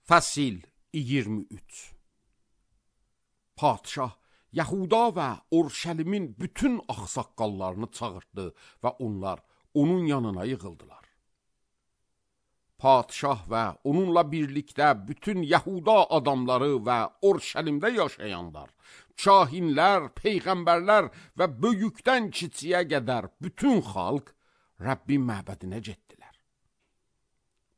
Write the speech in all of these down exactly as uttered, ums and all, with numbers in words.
Fəsil iyirmi üç. Padşah Yahuda və Urşəlimin bütün ağsaqqallarını çağırdı və onlar onun yanına yığıldılar. Padşah və onunla birlikdə bütün Yahuda adamları və Urşəlimdə yaşayanlar, kahinlər, peyğəmbərlər və böyükdən kiçiyə qədər bütün xalq Rəbbin məbədinə getdilər.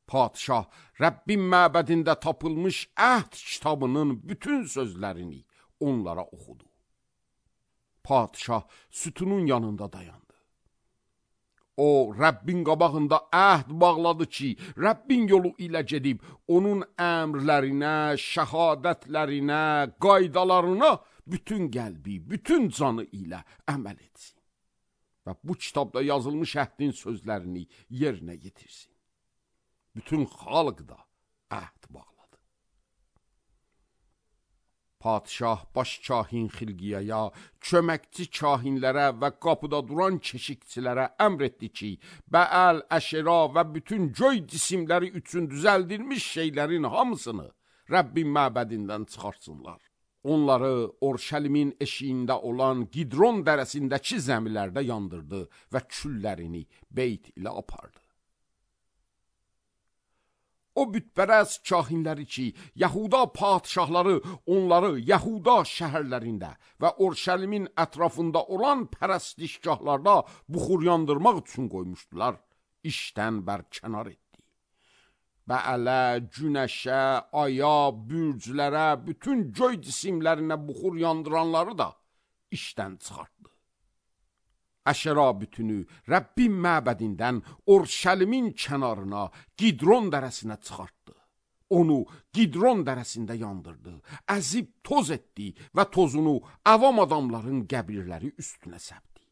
Padşah Rəbbin məbədində tapılmış əhd kitabının bütün sözlərini onlara oxudu. Padşah sütunun yanında dayandı. O, Rəbbin qabağında əhd bağladı ki, Rəbbin yolu ilə gedib, onun əmrlərinə, şəhadətlərinə, qaydalarına bütün qəlbi, bütün canı ilə əməl etsin. Və bu kitabda yazılmış əhdin sözlərini yerinə yetirsin. Bütün xalq da əhd bağladı. Padşah baş kahin Xilqiyaya, köməkçi kahinlərə və qapıda duran keşikçilərə əmr etdi ki, Bəəl, Əşera və bütün göy cisimləri üçün düzəldilmiş şeylərin hamısını Rəbbin məbədindən çıxartsınlar. Onları Urşəlimin eşiyində olan Qidron dərəsindəki zəmilərdə yandırdı və küllərini beyt ilə apardı. O bütpərəst kahinləri ki, Yahuda padşahları onları Yahuda şəhərlərində və Urşəlimin ətrafında olan pərəstişgahlarda buxur yandırmaq üçün qoymuşdular, işdən bərkənar etdi. Bəələ, günəşə, aya, bürclərə, bütün göy cisimlərinə buxur yandıranları da işdən çıxartdı. Əşera bütünü Rəbbin məbədindən Urşəlimin kənarına, Qidron dərəsinə çıxartdı. Onu Qidron dərəsində yandırdı, əzib toz etdi və tozunu avam adamların qəbirləri üstünə səpdi.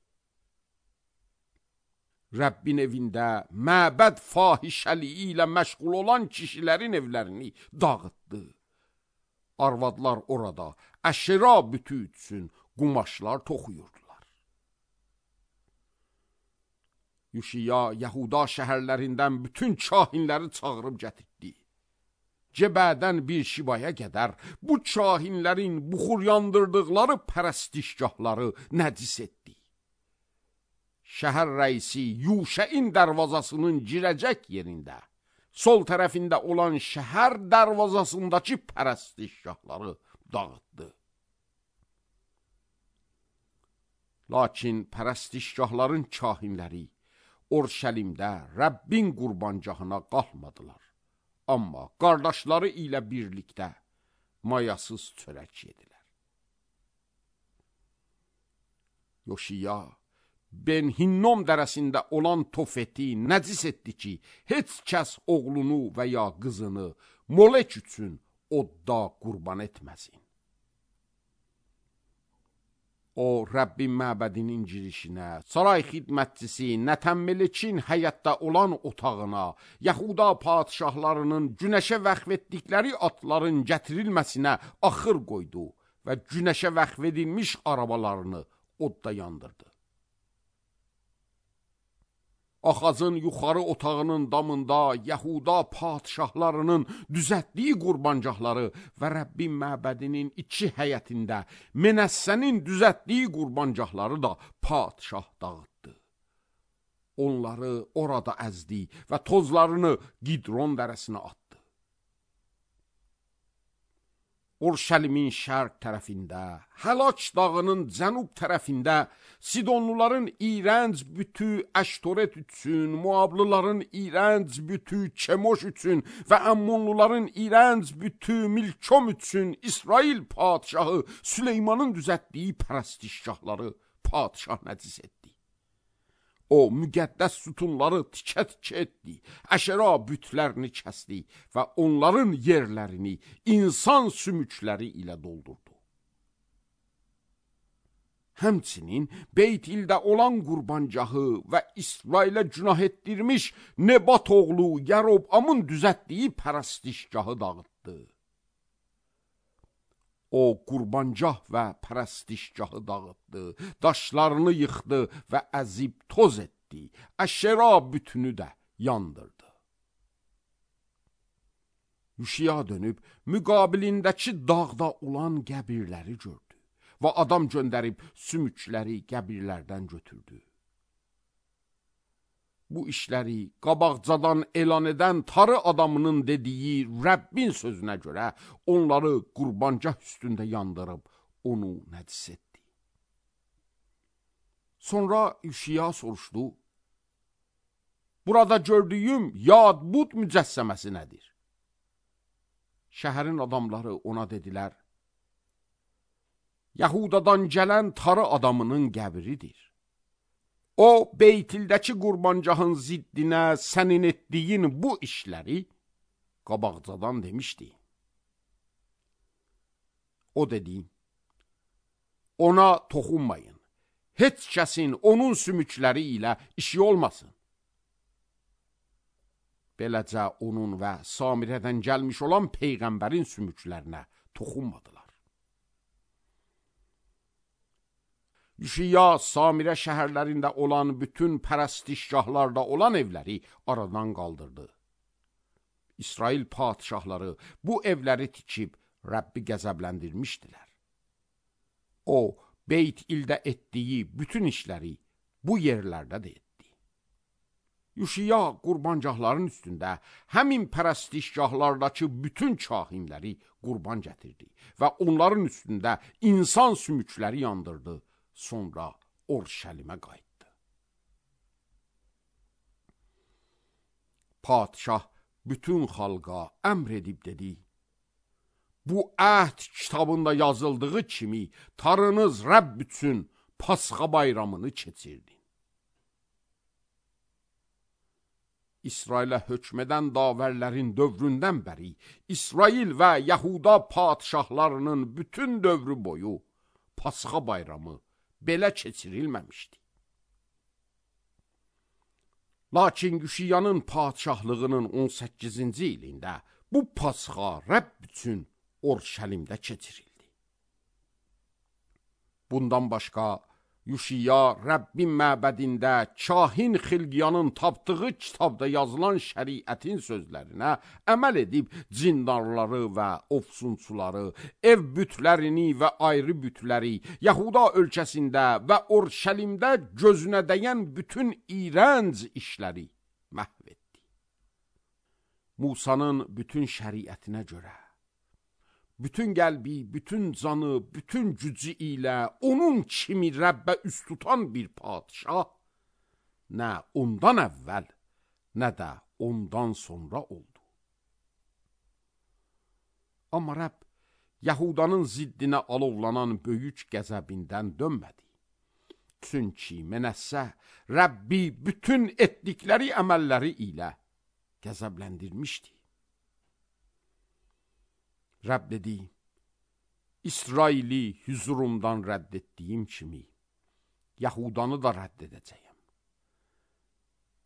Rəbbin evində məbəd fahişəliyi ilə məşğul olan kişilərin evlərini dağıtdı. Arvadlar orada Əşera bütü üçün qumaşlar toxuyurdu. Yuşiya Yahuda şəhərlərindən bütün kahinləri çağırıb gətirdi. Cebədən bir şibaya qədər bu kahinlərin buxur yandırdıqları pərəstişgahları nəcis etdi. Şəhər rəisi Yuşəin dərvazasının girəcək yerində, sol tərəfində olan şəhər dərvazasındakı pərəstişgahları dağıtdı. Lakin pərəstişgahların kahinləri Urşəlimdə Rəbbin qurbancahına qalmadılar. Amma qardaşları ilə birlikdə mayasız çörək yedilər. Yoşiya Ben-Hinnom dərəsində olan Tofeti nəcis etdi ki, heç kəs oğlunu və ya qızını Molek üçün odda qurban etməsin. O, Rəbbin məbədinin girişinə, saray xidmətçisi Nətəmmelikin həyətdə olan otağına, Yahuda padşahlarının günəşə vəqf etdikləri atların gətirilməsinə axır qoydu və günəşə vəqf edilmiş arabalarını odda yandırdı. Axazın yuxarı otağının damında Yahuda padşahlarının düzətdiyi qurbancaqları və Rəbbin məbədinin iki həyətində Menəssənin düzətdiyi qurbancaqları da padşah dağıtdı. Onları orada əzdi və tozlarını Qidron dərəsinə atdı. Urşəlimin şərq tərəfində, Həlak dağının cənub tərəfində Sidonluların iyrənc bütü Əştoret üçün, Muablıların iyrənc bütü Kemoş üçün və Əmmonluların iyrənc bütü Milkom üçün İsrail padşahı Süleymanın düzətdiyi pərəstişgahları padşah nəcis etdi. O, müqəddəs sütunları tikə-tikə etdi, Əşera bütlərini kəsdi və onların yerlərini insan sümükləri ilə doldurdu. Həmçinin Beytildə olan qurbancahı və İsrailə günah etdirmiş Nebat oğlu Yərobamın düzətdiyi pərəstişgahı dağıtdı. O, qurbancah və pərəstişgahı dağıtdı, daşlarını yıxdı və əzib toz etdi, Əşera bütünü də yandırdı. Yuşiya dönüb müqabilindəki dağda olan qəbirləri gördü və adam göndərib sümükləri qəbirlərdən götürdü. Bu işləri qabaqcadan elan edən tarı adamının dediyi Rəbbin sözünə görə onları qurbancah üstündə yandırıb onu nəcis etdi. Sonra Yuşiya soruşdu, burada gördüyüm Yad-Bud mücəssəməsi nədir? Şəhərin adamları ona dedilər, Yahudadan gələn tarı adamının qəbridir. O, Beytildəki qurbancahın ziddinə sənin etdiyin bu işləri qabaqcadan demişdi. O dedi, ona toxunmayın, heç kəsin onun sümükləri ilə işi olmasın. Beləcə onun və Samirədən gəlmiş olan Peyğəmbərin sümüklərinə toxunmadılar. Yuşiya Samirə şəhərlərində olan bütün pərəstişgahlarda olan evləri aradan qaldırdı. İsrail padişahları bu evləri tikib Rəbbi qəzəbləndirmişdilər. O, Beyt ildə etdiyi bütün işləri bu yerlərdə də etdi. Yuşiya qurbancahların üstündə həmin pərəstişgahlardakı bütün kahinləri qurban gətirdi və onların üstündə insan sümükləri yandırdı, sonra Orşəlimə qayıtdı. Padişah bütün xalqa əmr edib dedi, bu əhd kitabında yazıldığı kimi tarınız Rəbb üçün Pasxa bayramını keçirdi. İsrailə hökm edən davərlərin dövründən bəri İsrail və Yahuda padişahlarının bütün dövrü boyu Pasxa bayramı belə keçirilməmişdi. Lakin Yuşiyanın padişahlığının on səkkizinci ilində bu Pasxa Rəbb üçün Orşəlimdə keçirildi. Bundan başqa Yuşiya Rəbbin məbədində kahin Xilqiyanın tapdığı kitabda yazılan şəriətin sözlərinə əməl edib cindarları və ofsunçuları, ev bütlərini və ayrı bütləri, Yahuda ölkəsində və Orşəlimdə gözünə dəyən bütün iyrənc işləri məhv etdi. Musanın bütün şəriətinə görə bütün qəlbi, bütün canı, bütün gücü ilə onun kimi Rəbbə üst tutan bir padişah nə ondan əvvəl, nə də ondan sonra oldu. Amma Rəbb Yahudanın ziddinə alovlanan böyük qəzəbindən dönmədi. Çünki Mənəssə Rəbbi bütün etdikləri əməlləri ilə qəzəbləndirmişdi. Rəbb dedi, İsraili hüzurumdan rədd etdiyim kimi, Yahudanı da rədd edəcəyəm.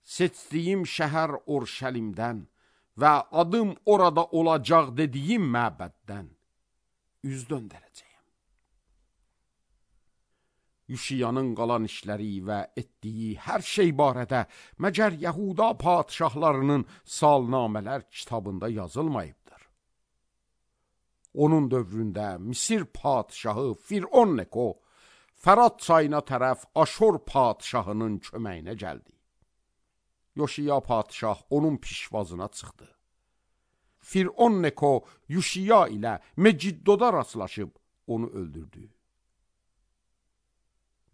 Seçdiyim şəhər Orşəlimdən və adım orada olacaq dediyim məbəddən üz döndərəcəyəm. Yuşiyanın qalan işləri və etdiyi hər şey barədə məgər Yahuda padişahlarının salnamələr kitabında yazılmayıb. Onun dövründə Misir padişahı Firon Neko Fərat çayına tərəf Aşor padişahının köməyinə gəldi. Yuşiya padişah onun pişvazına çıxdı. Firon Neko Yuşiya ilə Meciddoda rastlaşıb onu öldürdü.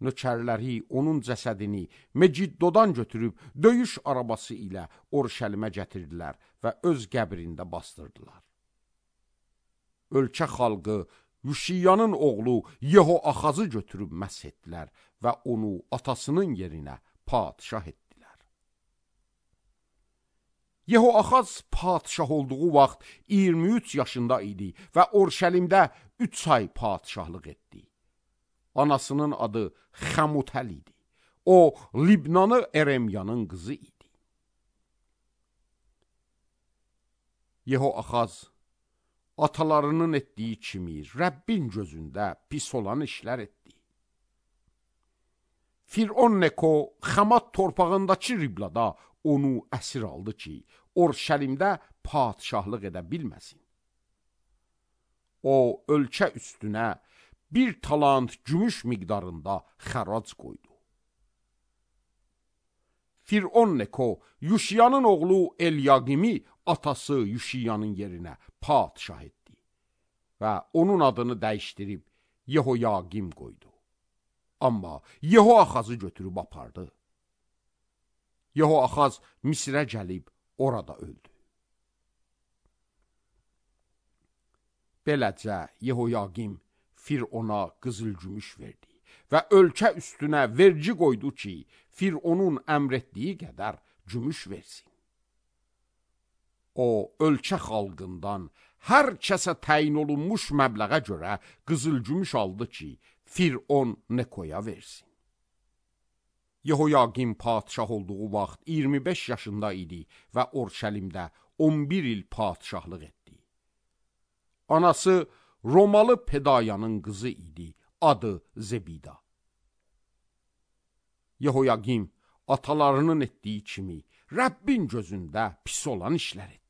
Nökərləri onun cəsədini Meciddodan götürüb döyüş arabası ilə Orşəlimə gətirdilər və öz qəbrində bastırdılar. Ölkə xalqı Yuşiyanın oğlu Yehoaxazı götürüb məsh etdilər və onu atasının yerinə padişah etdilər. Yehoaxaz padişah olduğu vaxt iyirmi üç yaşında idi və Orşəlimdə üç ay padişahlıq etdi. Anasının adı Xəmutəl idi. O, Libnanı Eremyanın qızı idi. Yehoaxaz atalarının etdiyi kimi Rəbbin gözündə pis olan işlər etdi. Firon Neko Xamat torpağındakı Riblada onu əsir aldı ki, Orşəlimdə padişahlıq edə bilməsin. O, ölkə üstünə bir talant gümüş miqdarında xərac qoydu. Firon Neko, Yuşiyanın oğlu Elyaqimi atası Yuşiyanın yerinə padişah etdi və onun adını dəyişdirib Yehoyaqim qoydu. Amma Yehoaxazı götürüb apardı. Yehoaxaz Misrə gəlib orada öldü. Beləcə Yehoyaqim Firona qızıl-gümüş verdi və ölkə üstünə vergi qoydu ki, Fironun əmr etdiyi qədər gümüş versin. O, ölkə xalqından hər kəsə təyin olunmuş məbləğə görə qızıl-gümüş aldı ki, Firon Nekoya versin. Yehoyaqim padişah olduğu vaxt iyirmi beş yaşında idi və Orşəlimdə on bir il padişahlıq etdi. Anası Romalı Pedayanın qızı idi, adı Zebida. Yehoyaqim atalarının etdiyi kimi Rəbbin gözündə pis olan işlər etdi.